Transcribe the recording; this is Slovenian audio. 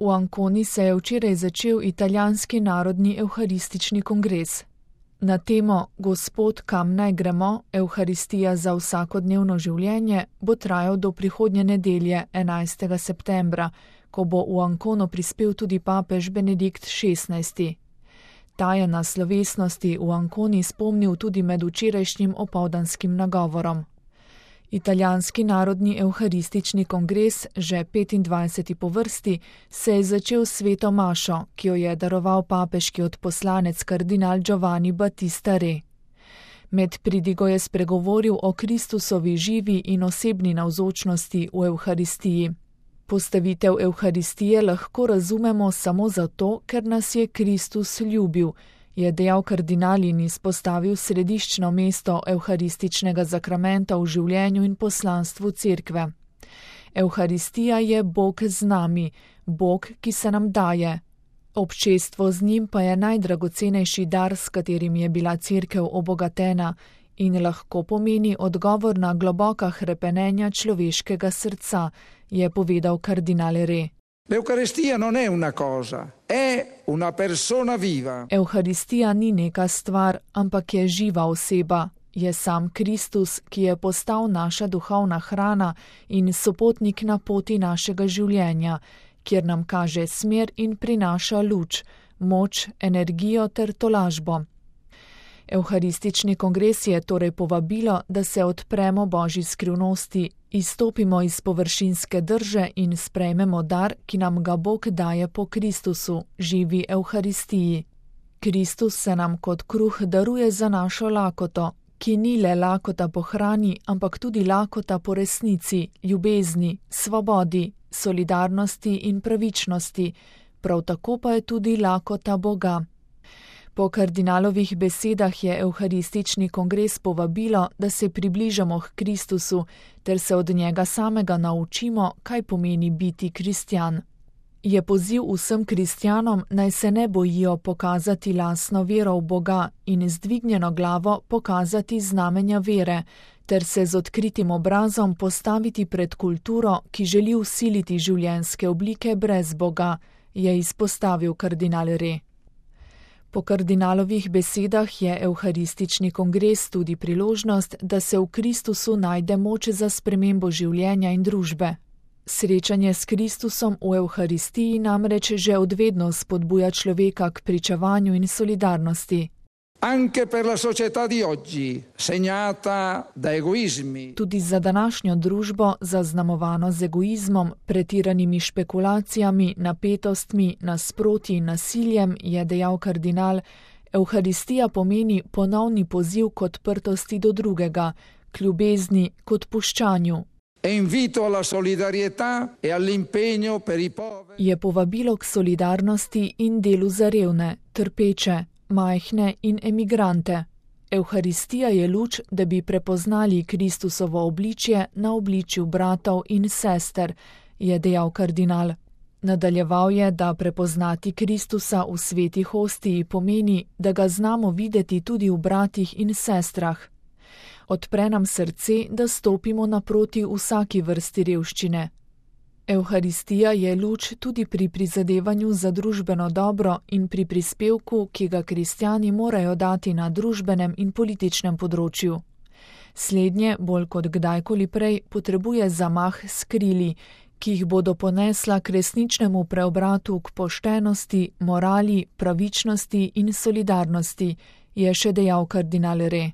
V Anconi se je včeraj začel italijanski narodni evharistični kongres. Na temo Gospod, kam naj gremo, evharistija za vsakodnevno življenje bo trajal do prihodnje nedelje 11. septembra, ko bo v Ancono prispel tudi papež Benedikt XVI. Ta je na slovesnosti v Anconi spomnil tudi med včerajšnjim opoldanskim nagovorom. Italijanski narodni evharistični kongres, že 25. po vrsti, se je začel s sveto mašo, ki jo je daroval papeški odposlanec kardinal Giovanni Battista Re. Med pridigo je spregovoril o Kristusovi živi in osebni navzočnosti v evharistiji. Postavitev evharistije lahko razumemo samo zato, ker nas je Kristus ljubil, je dejal kardinal in izpostavil središčno mesto evharističnega zakramenta v življenju in poslanstvu cerkve. Evharistija je Bog z nami, Bog, ki se nam daje. Občestvo z njim pa je najdragocenejši dar, s katerim je bila cerkev obogatena in lahko pomeni odgovor na globoka hrepenenja človeškega srca, je povedal kardinal Re. L'Eucaristia non è una cosa, è una persona viva. Evharistija ni neka stvar, ampak je živa oseba. Je sam Kristus, ki je postal naša duhovna hrana in sopotnik na poti našega življenja, kjer nam kaže smer in prinaša luč, moč, energijo ter tolažbo. Evharistični kongres je torej povabilo, da se odpremo Božji skrivnosti, izstopimo iz površinske drže in sprejmemo dar, ki nam ga Bog daje po Kristusu, živi evharistiji. Kristus se nam kot kruh daruje za našo lakoto, ki ni le lakota po hrani, ampak tudi lakota po resnici, ljubezni, svobodi, solidarnosti in pravičnosti, prav tako pa je tudi lakota Boga. Po kardinalovih besedah je evharistični kongres povabilo, da se približamo k Kristusu ter se od njega samega naučimo, kaj pomeni biti kristjan. Je poziv vsem kristjanom, naj se ne bojijo pokazati lastno vero v Boga in z dvignjeno glavo pokazati znamenja vere, ter se z odkritim obrazom postaviti pred kulturo, ki želi vsiliti življenjske oblike brez Boga, je izpostavil kardinal Re. Po kardinalovih besedah je evharistični kongres tudi priložnost, da se v Kristusu najde moč za spremembo življenja in družbe. Srečanje s Kristusom v evharistiji namreč že odvedno spodbuja človeka k pričevanju in solidarnosti. Anche per la società di oggi, segnata da egoismi. Tudi za današnjo družbo, zaznamovano z egoizmom, pretiranimi špekulacijami, napetostmi, nasprotji in nasiljem, je dejal kardinal, evharistija pomeni ponovni poziv k odprtosti do drugega, k ljubezni, k odpuščanju. Je povabilo k solidarnosti in delu za revne, trpeče, majhne in emigrante. Evharistija je luč, da bi prepoznali Kristusovo obličje na obličju bratov in sester, je dejal kardinal. Nadaljeval je, da prepoznati Kristusa v sveti hostiji pomeni, da ga znamo videti tudi v bratih in sestrah. Odpre nam srce, da stopimo naproti vsaki vrsti revščine. Evharistija je luč tudi pri prizadevanju za družbeno dobro in pri prispevku, ki ga kristjani morajo dati na družbenem in političnem področju. Slednje, bolj kot kdajkoli prej, potrebuje zamah s krili, ki jih bodo ponesla k resničnemu preobratu k poštenosti, morali, pravičnosti in solidarnosti, je še dejal kardinal Re.